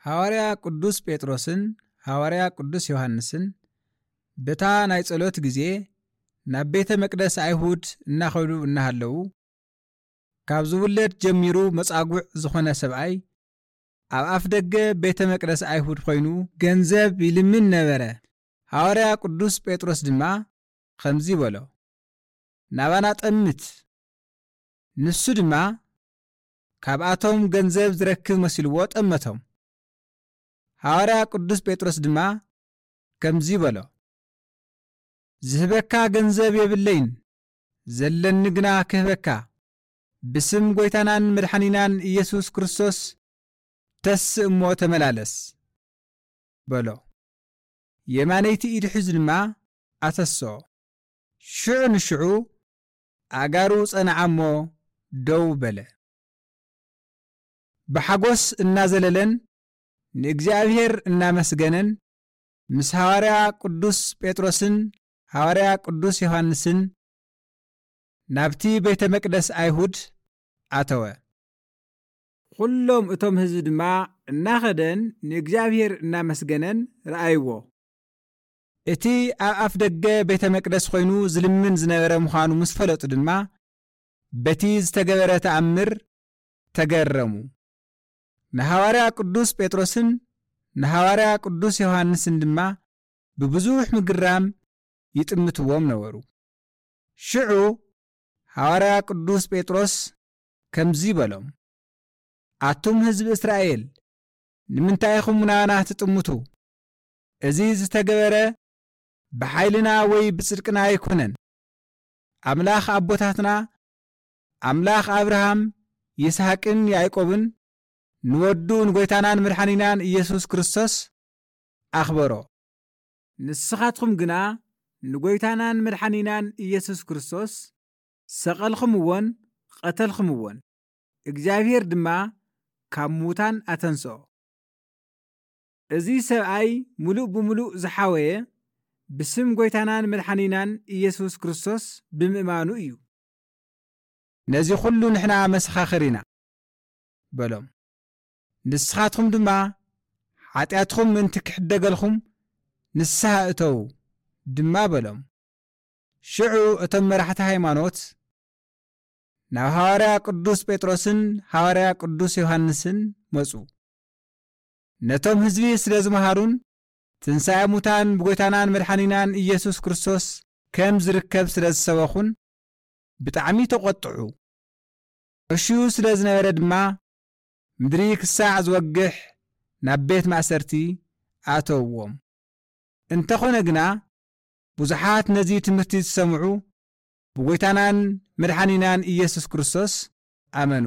ሃዋርያ ቅዱስ ጴጥሮስን ሃዋርያ ቅዱስ ዮሃንስን በታ ናይ ጸሎት ግዜ ናብ ቤተ መቅደስ ኣይሁድ እናኸዱ እናሃለዉ፣ ካብ ዝውለድ ጀሚሩ መጻጉዕ ዝኾነ ሰብኣይ ኣብ ኣፍ ደገ ቤተ መቅደስ ኣይሁድ ኮይኑ ገንዘብ ይልምን ነበረ። ሃዋርያ ቅዱስ ጴጥሮስ ድማ ከምዚ በሎ፣ "ናባና ጠምት!" ንሱ ድማ ካብኣቶም ገንዘብ ዝረክብ መሲልዎ ጠመቶም። ሃዋርያ ቅዱስ ጴጥሮስ ድማ ከምዚ በሎ፣ "ዝህበካ ገንዘብ የብለይን፣ ዘለኒ ግና ክህበካ፣ ብስም ጐይታናን መድሓኒናን ኢየሱስ ክርስቶስ ተስእ እሞ ተመላለስ" በሎ። የማነይቲ ኢድ ሒዙ ድማ ኣተስኦ። ሽዑ ንሽዑ ኣእጋሩ ጸንዓ እሞ ደው በለ። ብሓጎስ እናዘለለን ንእግዚኣብሔር እናመስገነን ምስ ሃዋርያ ቅዱስ ጴጥሮስን ሃዋርያ ቅዱስ ዮሃንስን ናብቲ ቤተ መቅደስ ኣይሁድ ኣተወ። ኩሎም እቶም ህዝቢ ድማ እናኸደን ንእግዚኣብሔር እናመስገነን ረኣይዎ። እቲ ኣብ ኣፍ ደገ ቤተ መቅደስ ኮይኑ ዝልምን ዝነበረ ምዃኑ ምስ ፈለጡ ድማ በቲ ዝተገበረ ተኣምር ተገረሙ። ንሃዋርያ ቅዱስ ጴጥሮስን ንሃዋርያ ቅዱስ ዮሃንስን ድማ ብብዙሕ ምግራም ይጥምትዎም ነበሩ። ሽዑ ሃዋርያ ቅዱስ ጴጥሮስ ከምዚ በሎም፣ "ኣቱም ህዝቢ እስራኤል፣ ንምንታይ ኢኹም ናባና ትጥምቱ? እዚ ዝተገበረ ብሓይልና ወይ ብጽድቅና ኣይኮነን። ኣምላኽ ኣቦታትና፣ ኣምላኽ ኣብርሃም፣ ይስሐቅን ያዕቆብን፣ ንወዱ ንጐይታናን መድሓኒናን ኢየሱስ ክርስቶስ ኣኽበሮ። ንስኻትኩም ግና ንጐይታናን መድሓኒናን ኢየሱስ ክርስቶስ ሰቐልኹምዎን ቐተልኹምዎን፣ እግዚኣብሔር ድማ ካብ ምዉታን ኣተንስኦ። እዚ ሰብኣይ ምሉእ ብምሉእ ዝሓወየ ብስም ጐይታናን መድሓኒናን ኢየሱስ ክርስቶስ ብምእማኑ እዩ። ነዚ ኹሉ ንሕና መሰኻኽር ኢና" በሎም። "ንስኻትኩም ድማ ሓጢኣትኩም ምእንቲ ክሕደገልኩም ንስሓ እተዉ" ድማ በሎም። ሽዑ እቶም መራሕቲ ሃይማኖት ናብ ሃዋርያ ቅዱስ ጴጥሮስን ሃዋርያ ቅዱስ ዮሃንስን መጹ። ነቶም ህዝቢ ስለ ዝመሃሩን ትንሳኤ ሙታን ብጎይታናን መድሓኒናን ኢየሱስ ክርስቶስ ከም ዝርከብ ስለ ዝሰበኹን ብጣዕሚ ተቖጥዑ። ዕሽዩ ስለ ዝነበረ ድማ ምድሪ ክሳዕ ዝወግሕ ናብ ቤት ማእሰርቲ ኣተውዎም። እንተኾነ ግና ብዙሓት ነዚ ትምህርቲ ዝሰምዑ ብጎይታናን መድሓኒናን ኢየሱስ ክርስቶስ ኣመኑ።